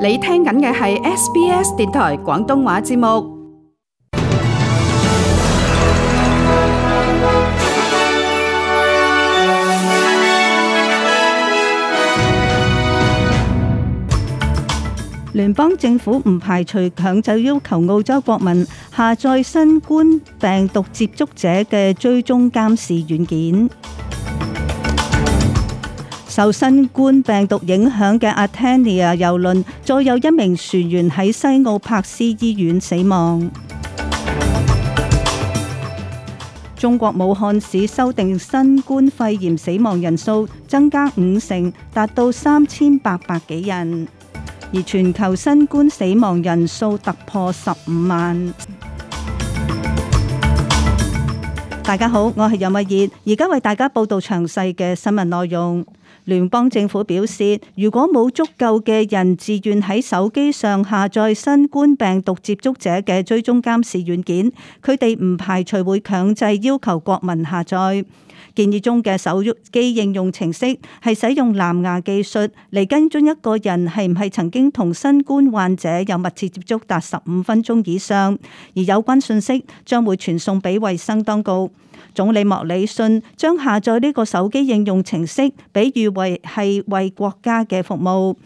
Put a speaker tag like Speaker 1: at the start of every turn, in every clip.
Speaker 1: 你聽緊嘅係 SBS 電台廣東話節目。
Speaker 2: 聯邦政府唔排除強制要求澳洲國民下載新冠病毒接觸者嘅追蹤監視軟件。受新冠病毒影響嘅 Atania 郵輪再有一名船員喺西澳柏斯醫院死亡。中國武漢市修訂新冠肺炎死亡人數增加50%，達到3800幾人，而全球新冠死亡人數突破15萬。大家好，我係任慧儀，而家為大家報道詳細嘅新聞內容。聯邦政府表示，如果冇足夠嘅人自願喺手機上下載新冠病毒接觸者嘅追蹤監視軟件，佢哋唔排除會強制要求國民下載。建議中嘅手機應用程式係使用藍牙技術嚟跟蹤一個人係唔係曾經同新冠患者有密切接觸達15分鐘以上，而有關信息將會傳送俾衛生當局。總理莫里遜將下載呢個手機應用程式比喻為係為國家嘅服務。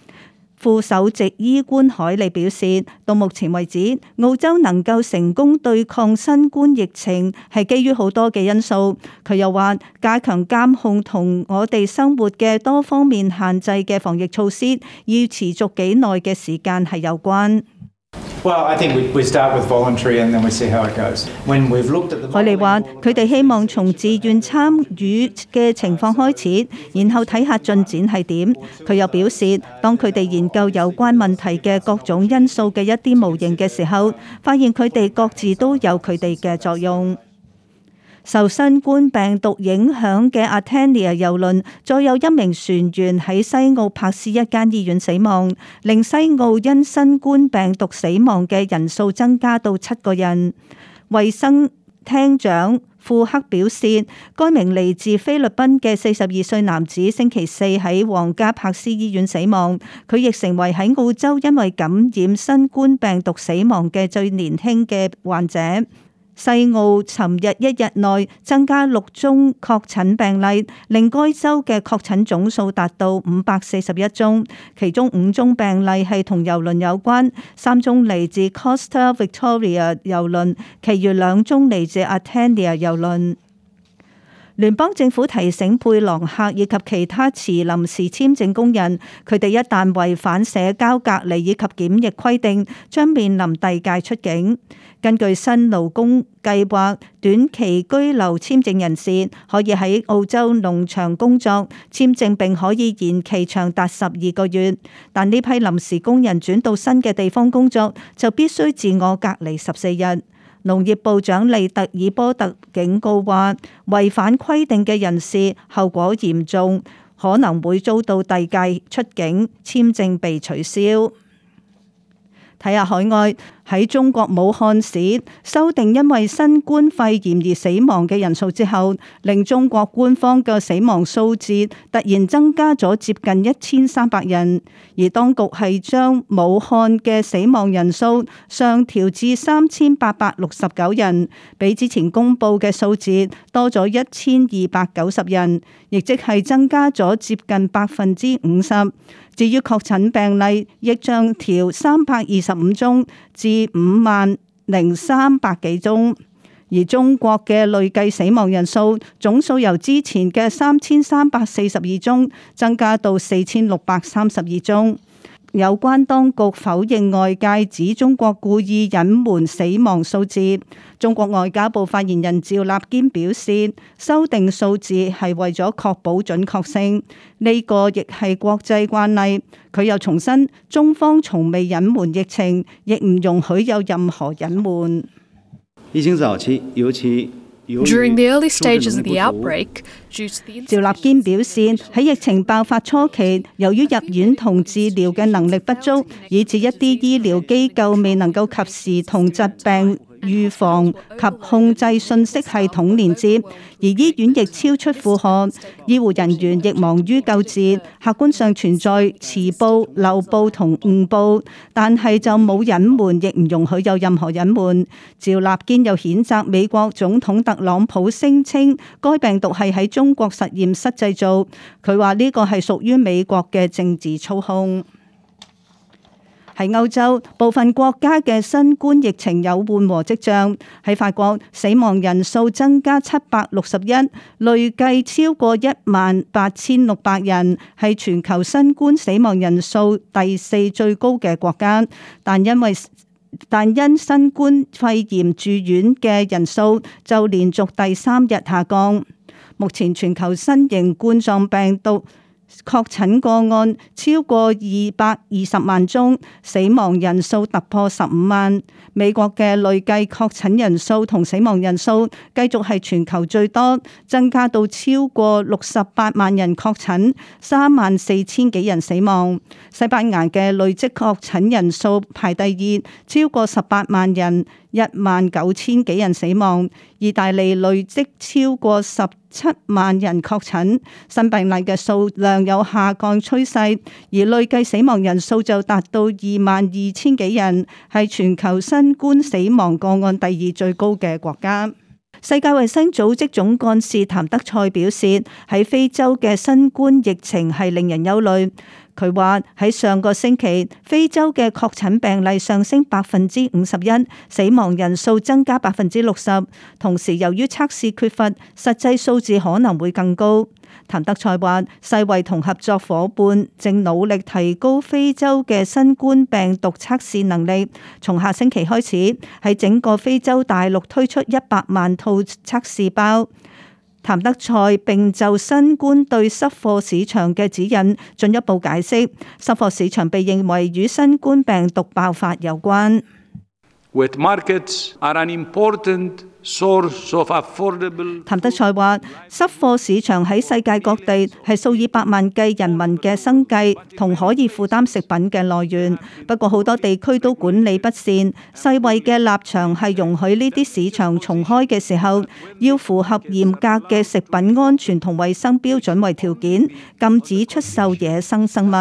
Speaker 2: 副首席醫官海利表示，到目前為止，澳洲能夠成功對抗新冠疫情係基於好多嘅因素。佢又話，加強監控同我哋生活嘅多方面限制嘅防疫措施要持續幾耐嘅時間係有關。海利話：佢哋希望從自願參與嘅情況開始，然後睇下進展係點。佢又表示，當佢哋研究有關問題嘅各種因素嘅一啲模型嘅時候，發現佢哋各自都有佢哋嘅作用。受新冠病毒影響嘅 Atania 郵輪再有一名船員喺西澳柏斯一間醫院死亡，令西澳因新冠病毒死亡嘅人數增加到7個人。衛生廳長庫克表示，該名嚟自菲律賓嘅42歲男子星期四喺皇家柏斯醫院死亡，佢亦成為喺澳洲因為感染新冠病毒死亡嘅最年輕嘅患者。西澳尋日一日內增加6宗確診病例，令該州嘅確診總數達到541宗，其中5宗病例係同郵輪有關，3宗嚟自 Costa Victoria 郵輪，其餘2宗嚟自 Atania 郵輪。聯邦政府提醒佩朗客以及其他持臨時簽證工人，佢哋一旦違反社交隔離以及檢疫規定，將面臨遞解出境。根據新勞工計劃，短期居留簽證人士可以喺澳洲農場工作，簽證並可以延期長達12個月。但呢批臨時工人轉到新嘅地方工作，就必須自我隔離14日。農業部長利特爾波特警告話，違反規定嘅人士後果嚴重，可能會遭到遞解出境，簽證被取消。睇下海外，喺中國武漢市修訂因為新冠肺炎而死亡嘅人數之後，令中國官方嘅死亡數字突然增加咗接近1300人，而當局係將武漢嘅死亡人數上調至3869人，比之前公布嘅數字多咗1290人，亦即係增加咗接近50%。至於確診病例，亦將調325宗至50300幾宗，而中國嘅累計死亡人數總數由之前嘅3342宗增加到4632宗。有關當局否認外界指中國故意隱瞞死亡數字。中國外交部發言人趙立堅表示，修訂數字係為咗確保準確性，呢個亦係國際慣例。佢又重申，中方從未隱瞞疫情，亦唔容許有任何隱瞞。
Speaker 3: 疫情早期，尤其
Speaker 4: During the early stages of the outbreak,
Speaker 2: 趙立堅表示，喺疫情爆發初期，由於入院同治療嘅能力不足，以致一啲醫療機構未能夠及時同疾病預防及控制信息系統連接，而醫院亦超出負荷，醫護人員亦忙於救治，客觀上存在遲報、漏報同誤報，但係就冇隱瞞，亦唔容許有任何隱瞞。趙立堅又譴責美國總統特朗普聲稱該病毒係喺中國實驗室製造，佢話呢個係屬於美國嘅政治操控。喺歐洲部分國家嘅新冠疫情有緩和跡象，喺法國死亡人數增加761，累計超過18600人，係全球新冠死亡人數第4最高嘅國家，但因新冠肺炎住院嘅人數就連續第3日下降。目前全球新型冠狀病毒確診個案超過220萬宗，死亡人數突破15萬。美國嘅累計確診人數同死亡人數繼續係全球最多，增加到超過68萬人確診，34000幾人死亡。西班牙嘅累積確診人數排第2，超過18萬人，19000幾人死亡。意大利累積超過17萬人確診，新病例嘅數量有下降趨勢，而累計死亡人數就達到22000幾人，係全球新冠死亡個案第2最高嘅國家。世界衛生組織總幹事譚德塞表示，喺非洲嘅新冠疫情係令人憂慮。佢話喺上個星期，非洲嘅確診病例上升51%，死亡人數增加60%。同時，由於測試缺乏，實際數字可能會更高。譚德塞話，世衛同合作夥伴正努力提高非洲嘅新冠病毒測試能力。從下星期開始，喺整個非洲大陸推出100萬套測試包。譚德塞並就新冠對濕貨市場嘅指引進一步解釋，濕貨市場被認為與新冠病毒爆發有關。
Speaker 5: Wet markets are an important source of affordable。譚
Speaker 2: 德塞話，濕貨市場喺世界各地係數以百萬計人民嘅生計同可以負擔食品嘅來源。不過好多地區都管理不善，世衛嘅立場係容許呢啲市場重開嘅時候，要符合嚴格嘅食品安全同衛生標準為條件，禁止出售野生生物。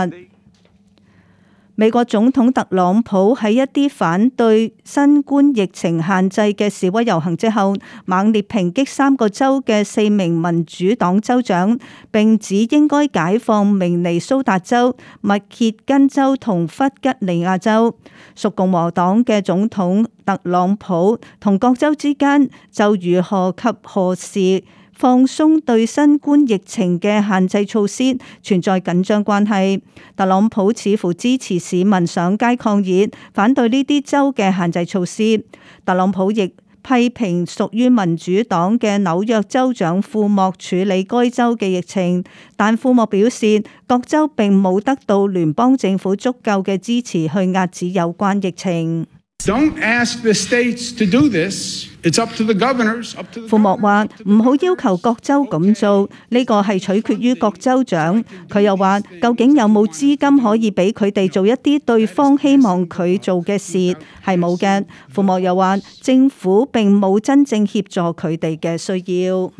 Speaker 2: 美國總統特朗普喺一啲反對新冠疫情限制嘅示威遊行之後，猛烈抨擊3個州嘅4名民主黨州長，並指應該解放明尼蘇達州、密歇根州同弗吉尼亞州。屬共和黨嘅總統特朗普同各州之間就如何及何時放鬆對新冠疫情嘅限制措施存在緊張關係。特朗普似乎支持市民上街抗議，反對呢啲州嘅限制措施。特朗普亦批評屬於民主黨嘅紐約州長庫莫處理該州嘅疫情，但庫莫表示各州並冇得到聯邦政府足夠嘅支持去遏止有關疫情。
Speaker 6: Don't ask the states to do this. It's up to the governors.
Speaker 2: 庫莫話唔好要求各州咁做，呢個係取決於各州長。佢又話，究竟有冇資金可以俾佢哋做一啲對方希望佢做嘅事？係冇嘅。庫莫又話，政府並冇真正協助佢哋嘅需要。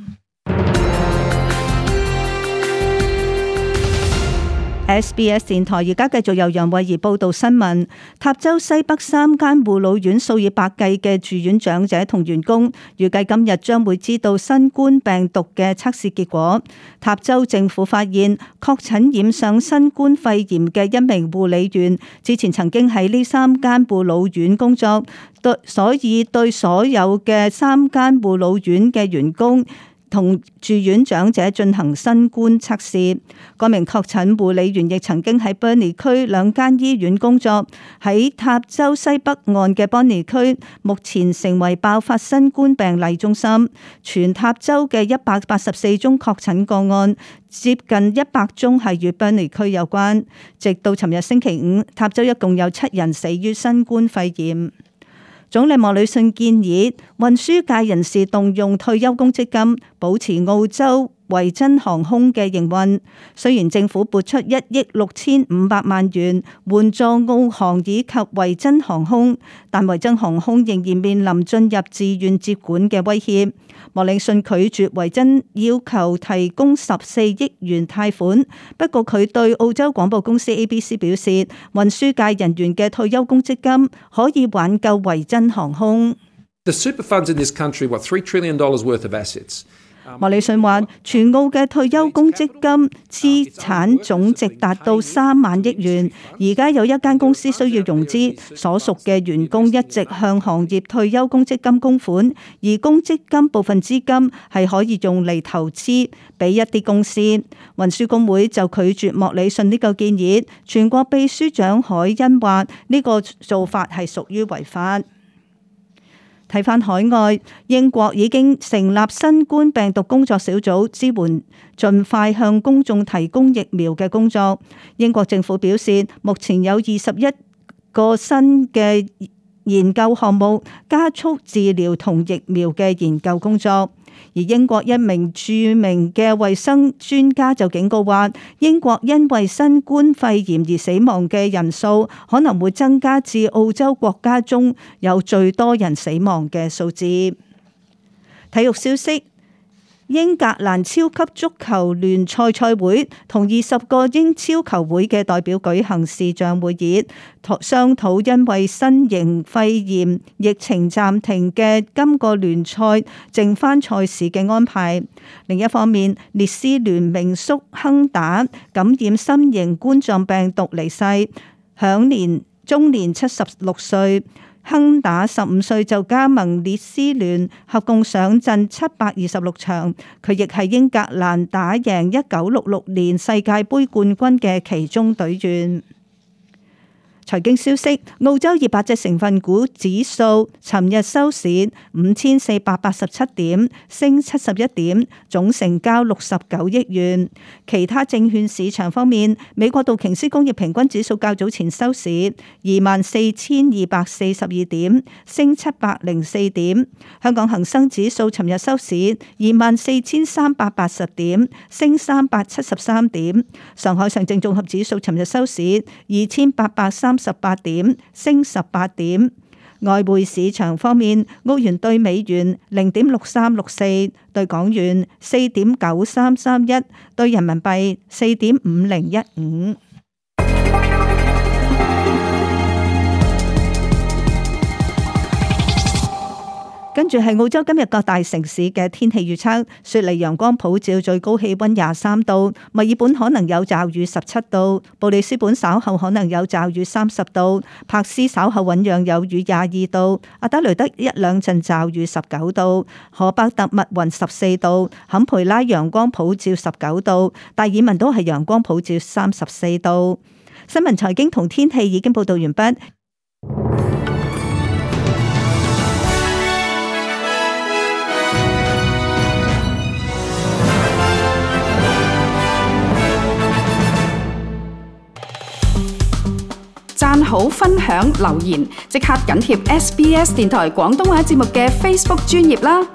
Speaker 2: SBS 電台而家繼續由楊慧儀報道新聞。塔州西北3間護老院數以百計嘅住院長者同員工，預計今日將會知道新冠病毒嘅測試結果。塔州政府發現確診染上新冠肺炎嘅一名護理員，之前曾經喺呢3間護老院工作，所以對所有嘅3間護老院嘅員工同住院長者進行新冠測試。該名確診護理員亦曾經喺 Burnie 區2間醫院工作。喺塔州西北岸嘅 Burnie 區，目前成為爆發新冠病例中心。全塔州嘅184宗確診個案，接近100宗係與 Burnie 區有關。直到尋日星期5，塔州一共有7人死於新冠肺炎。總理莫里遜建議運輸界人士動用退休公積金，保持澳洲維珍航空嘅營運。雖然政府撥出1億6500萬元援助澳航以及維珍航空，但維珍航空仍然面臨進入自願接管嘅威脅。莫里遜拒絕維珍要求提供14億元貸款，不過佢對澳洲廣播公司 ABC 表示，運輸界人員嘅退休公積金可以挽救維珍航空。
Speaker 7: The super funds in this country, what, $3 trillion worth of assets.
Speaker 2: 莫里遜話，全澳嘅退休公積金資產總值達到3萬億元。而家有一間公司需要融資，所屬嘅員工一直向行業退休公積金供款，而公積金部分資金係可以用嚟投資俾一啲公司。運輸工會就拒絕莫里遜呢個建議。全國秘書長海恩話呢個做法係屬於違法。睇返海外，英國已經成立新冠病毒工作小組，支援盡快向公眾提供疫苗嘅工作。英國政府表示，目前有21個新嘅研究項目，加速治療同疫苗嘅研究工作。而英國一名著名嘅衛生專家就警告話，英國因為新冠肺炎而死亡嘅人數可能會增加至澳洲國家中有最多人死亡嘅數字。體育消息，英格蘭超級足球聯賽賽會同20個英超球會嘅代表舉行視像會議，商討因為新型肺炎疫情暫停嘅今個聯賽剩返賽事嘅安排。另一方面，列斯聯名宿亨打感染新型冠狀病毒離世，享終年76歲。亨打15歲就加盟列斯聯，合共上陣726場。佢亦係英格蘭打贏1966年世界盃冠軍嘅其中隊員。財經消息，澳洲200隻成分股指數尋日收市5487點，升71點，總成交69億元。其他證券市場方面，美國道瓊斯工業平均指數較早前收市24,242點，升704點。香港恒生指數尋日收市24,380點，升373點。上海上證綜合指數尋日收市2838點，升18點。外匯市場方面，澳元兌美元0.6364，兌港元4.9331，兌人民幣4.5015。跟住係澳洲今日各大城市嘅天氣預測：雪梨陽光普照，最高氣溫23度；墨爾本可能有驟雨17度；布里斯本稍後可能有驟雨30度；柏斯稍後醞釀有雨22度；阿德雷德一兩陣驟雨19度；荷伯特密雲14度；坎培拉陽光普照19度；達爾文都係陽光普照34度。新聞財經同天氣已經報道完畢。
Speaker 1: 讚好、分享、留言，即刻緊貼SBS 電台廣東話節目嘅 Facebook 專頁啦！